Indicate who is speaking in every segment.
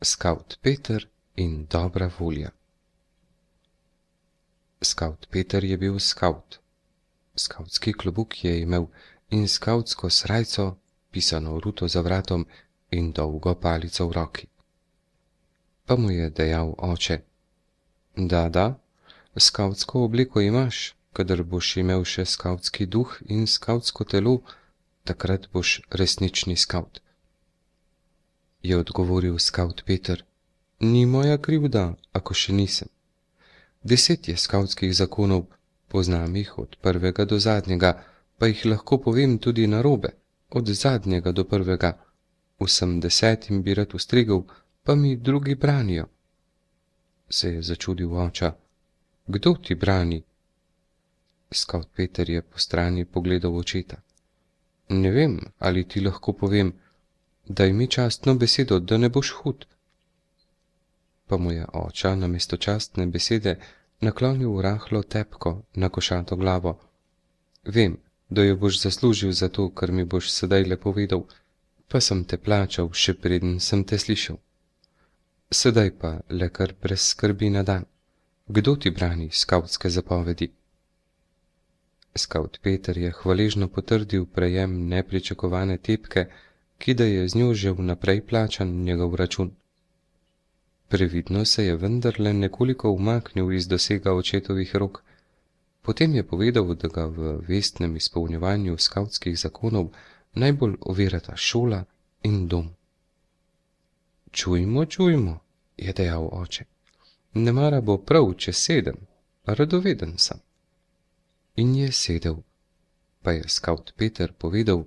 Speaker 1: Skavt Peter in dobra volja. Skavt Peter je bil skavt. Skavtski klobuk je imel in skavtsko srajco, pisano ruto za vratom in dolgo palico v roki. Pa mu je dejal oče: Da, skavtsko obleko imaš, kadar boš imel še skavtski duh in skavtsko telo, takrat boš resnični skavt. Je odgovoril skavt Peter: Ni moja krivda, ako še nisem. 10 je skavtskih zakonov, poznam jih od prvega do zadnjega, pa jih lahko povem tudi narobe, od zadnjega do prvega. Vsem 10 bi rad ustregel, pa mi drugi branijo. Se je začudil oča: Kdo ti brani? Skavt Peter je po strani pogledal očeta. Ne vem, ali ti lahko povem, daj mi častno besedo, da ne boš hud. Pa mu je oča namesto častne besede naklonil rahlo tepko na košato glavo. Vem, da jo boš zaslužil za to, kar mi boš sedaj le povedal, pa sem te plačal, še preden sem te slišal. Sedaj pa le kar brez skrbi na dan. Kdo ti brani skavtske zapovedi? Skavt Peter je hvaležno potrdil prejem nepričakovane tepke, ki da je z njo že vnaprej plačan njegov račun. Previdno se je vendarle nekoliko umaknil iz dosega očetovih rok, potem je povedal, da ga v vestnem izpolnjevanju skavtskih zakonov najbolj ovirata šola in dom. Čujmo, je dejal oče. Nemara bo prav, če sedem, radoveden sem. In je sedel, pa je skavt Peter povedal,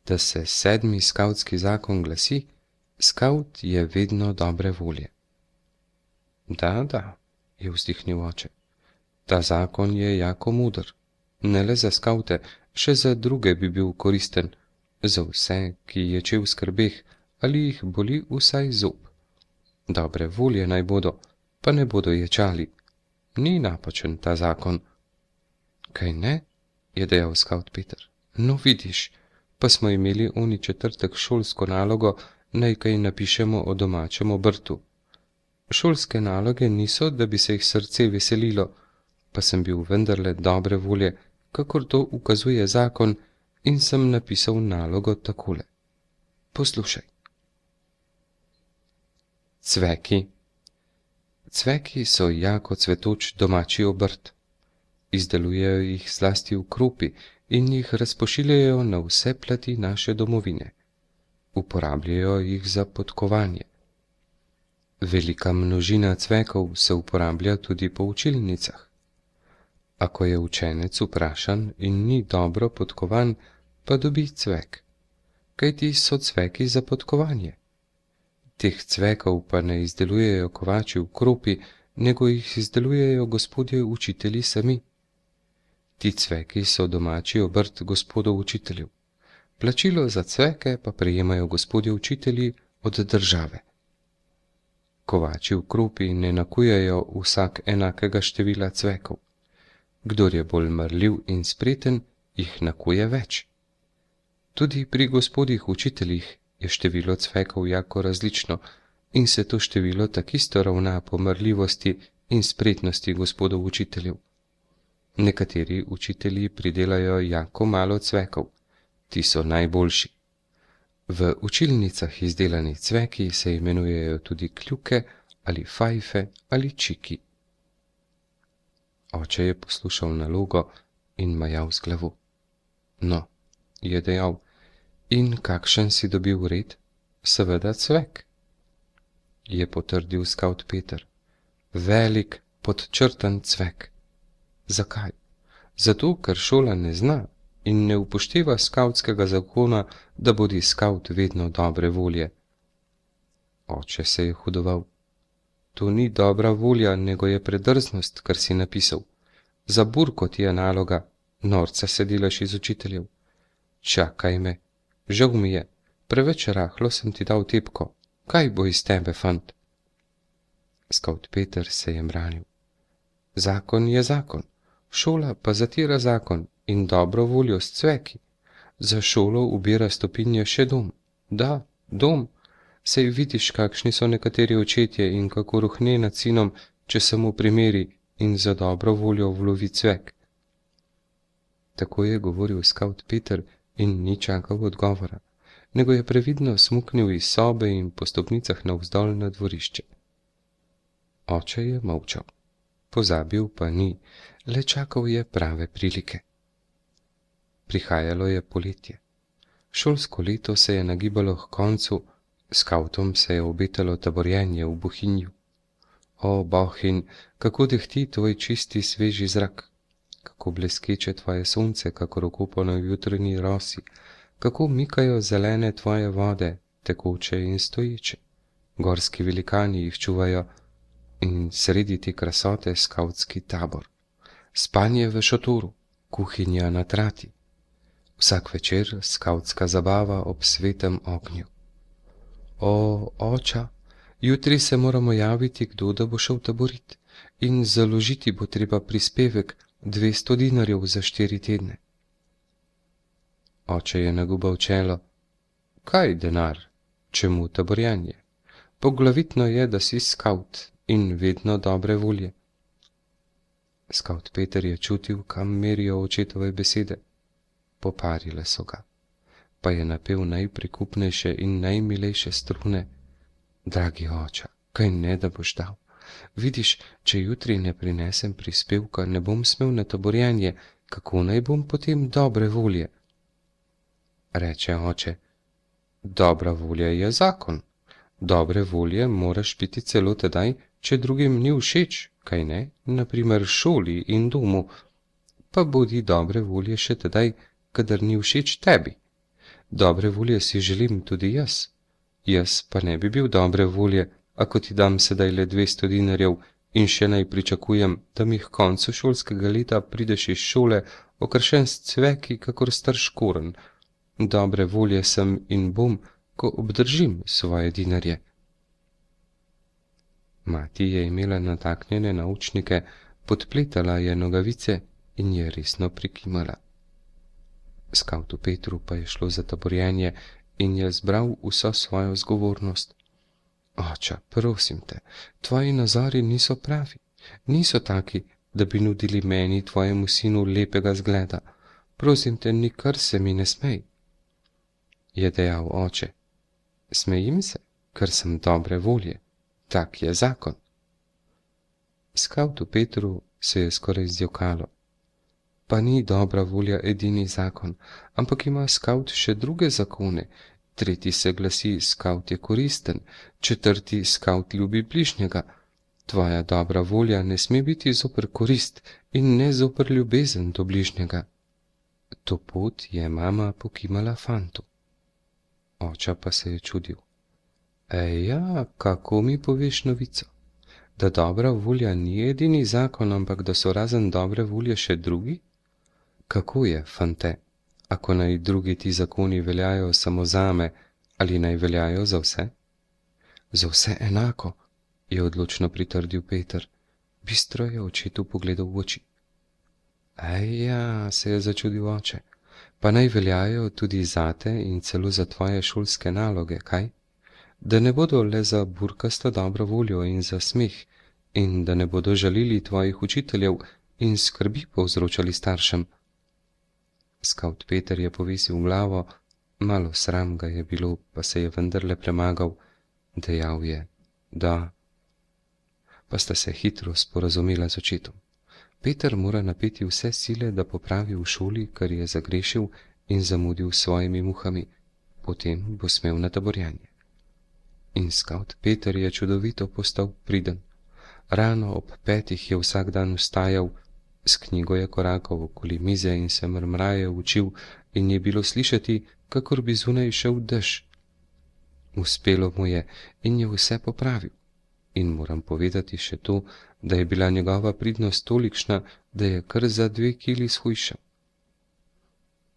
Speaker 1: da se 7. skavtski zakon glasi: skavt je vedno dobre volje. Da, je vzdihnil oče. Ta zakon je jako mudr. Ne le za skavte, še za druge bi bil koristen, za vse, ki ječe v skrbeh ali jih boli vsaj zob. Dobre volje naj bodo, pa ne bodo ječali. Ni napačen ta zakon. Kaj ne? Je dejal skavt Peter. No vidiš, pa smo imeli oni četrtek šolsko nalogo, naj kaj napišemo o domačem obrtu. Šolske naloge niso, da bi se jih srce veselilo, pa sem bil vendarle dobre volje, kakor to ukazuje zakon, in sem napisal nalogo takole. Poslušaj. Cveki. Cveki so jako cvetoč domači obrt. Izdelujejo jih zlasti v Kropi in jih razpošiljajo na vse plati naše domovine. Uporabljajo jih za podkovanje. Velika množina cvekov se uporablja tudi po učilnicah. Ako je učenec vprašan in ni dobro podkovan, pa dobi cvek. Kajti so cveki za podkovanje. Teh cvekov pa ne izdelujejo kovači v Kropi, nego jih izdelujejo gospodje učitelji sami. Ti cveki so domači obrt gospodov učiteljev. Plačilo za cveke pa prejemajo gospodje učitelji od države. Kovači v Kropi ne nakujajo vsak enakega števila cvekov. Kdor je bolj marljiv in spreten, jih nakuje več. Tudi pri gospodih učiteljih je število cvekov jako različno in se to število takisto ravna po marljivosti in spretnosti gospodov učiteljev. Nekateri učitelji pridelajo jako malo cvekov, ti so najboljši. V učilnicah izdelani cveki se imenujejo tudi kljuke ali fajfe ali čiki. Oče je poslušal nalogo in majal z glavo. No, je dejal, in kakšen si dobil red? Seveda cvek. Je potrdil skavt Peter. Velik, podčrtan cvek. Zakaj? Zato, ker šola ne zna in ne upošteva skavtskega zakona, da bodi skavt vedno dobre volje. Oče se je hudoval. To ni dobra volja, nego je predrznost, kar si napisal. Za burko ti je naloga, norca se delaš iz učiteljev. Čakaj me, žal mi je, preveč rahlo sem ti dal tepko. Kaj bo iz tebe, fant? Skavt Peter se je mranil. Zakon je zakon, šola pa zatira zakon in dobro voljo s cveki. Za šolo ubira stopinje še dom. Da, dom, Sej vidiš, kakšni so nekateri očetje in kako ruhne nad sinom, če se mu primeri in za dobro voljo vlovi cvek. Tako je govoril skavt Peter in ni čakal odgovora, nego je previdno smuknil iz sobe in po stopnicah navzdol na dvorišče. Oče je molčal. Pozabil pa ni, le čakal je prave prilike. Prihajalo je poletje. Šolsko leto se je nagibalo k koncu, skavtom se je obetalo taborjenje v Bohinju. O, Bohinj, kako dehti tvoj čisti sveži zrak, kako bleskeče tvoje sonce, kakor okopano v jutrni rosi, kako mikajo zelene tvoje vode, tekoče in stoječe. Gorski velikani jih čuvajo in sredi te krasote skavtski tabor. Spanje v šotoru, kuhinja na trati. Vsak večer skavtska zabava ob svetem ognju. O, oča, jutri se moramo javiti, kdo da bo šel taborit, in založiti bo treba prispevek 200 dinarjev za 4 tedne. Oče je nagubal čelo. Kaj denar? Čemu taborjanje? Poglavitno je, da si skavt in vedno dobre volje. Skavt Peter je čutil, kam merijo očetove besede. Poparile so ga, pa je napel najprikupnejše in najmilejše strune. Dragi oča, kaj ne da boš dal? Vidiš, če jutri ne prinesem prispevka, ne bom smel na taborjenje, kako naj bom potem dobre volje? Reče oče, dobra volja je zakon. Dobre volje moraš biti celo tedaj, če drugim ni všeč, kaj ne, naprimer šoli in domu, pa bodi dobre volje še tedaj, kadar ni všeč tebi. Dobre volje si želim tudi jaz. Jaz pa ne bi bil dobre volje, ako ti dam sedaj le 200 dinarjev in še naj pričakujem, da mi k koncu šolskega leta prideš iz šole okrašen s cveki, kakor star škorenj. Dobre volje sem in bom, ko obdržim svoje dinarje. Mati je imela nataknjene naučnike, podpletala je nogavice in je resno prikimala. Skavtu Petru pa je šlo za taborjenje in je zbral vso svojo zgovornost. Oča, prosim te, tvoji nazori niso pravi, niso taki, da bi nudili meni, tvojemu sinu, lepega zgleda. Prosim te, nikar se mi ne smej. Je dejal oče. Smejim se, ker sem dobre volje. Tak je zakon. Skavtu Petru se je skoraj zjokalo. Pa ni dobra volja edini zakon, ampak ima skavt še druge zakone. Tretji se glasi, skavt je koristen, četrti, skavt ljubi bližnjega. Tvoja dobra volja ne sme biti zoper korist in ne zoper ljubezen do bližnjega. To pot je mama pokimala fantu. Oča pa se je čudil. Ja, kako mi poveš novico? Da dobra volja ni edini zakon, ampak da so razen dobre volje še drugi? Kako je, fante, ako naj drugi ti zakoni veljajo samo zame, ali naj veljajo za vse? Za vse enako, je odločno pritrdil Peter. Bistro je očetu pogledal v oči. Ja, se je začudil oče, pa naj veljajo tudi zate in celo za tvoje šolske naloge, kaj? Da ne bodo le za burkasto dobro voljo in za smeh, in da ne bodo žalili tvojih učiteljev in skrbi povzročali staršem. Skavt Peter je povisil glavo, malo sram ga je bilo, pa se je vendarle premagal. Dejal je, da. Pa sta se hitro sporazumela z očetom. Peter mora napeti vse sile, da popravi v šoli, kar je zagrešil in zamudil s svojimi muhami, potem bo smel na taborjanje. In skavt Peter je čudovito postal priden. Rano ob 5 je vsak dan vstajal, s knjigo je korakal okoli mize in se mrmraje učil in je bilo slišati, kakor bi zunaj šel dež. Uspelo mu je in je vse popravil. In moram povedati še to, da je bila njegova pridnost tolikšna, da je kar za 2 kili shujšal.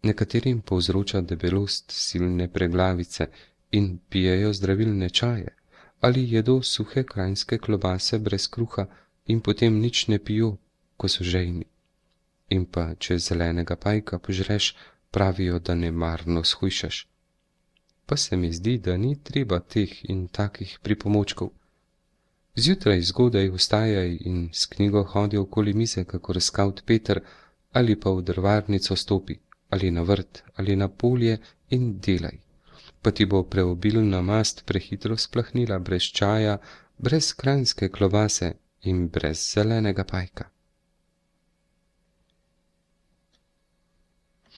Speaker 1: Nekaterim povzroča debelost silne preglavice in pijejo zdravilne čaje, ali jedo suhe kranjske klobase brez kruha in potem nič ne pijo, ko so žejni. In pa, če zelenega pajka požreš, pravijo, da nemarno shujšaš. pa se mi zdi, da ni treba teh in takih pripomočkov. Zjutraj zgodaj vstajaj in s knjigo hodi okoli mize, kakor skavt Peter, ali pa v drvarnico stopi, ali na vrt, ali na polje in delaj. Pa ti bo preobilna mast prehitro splahnila brez čaja, brez kranjske klobase in brez zelenega pajka.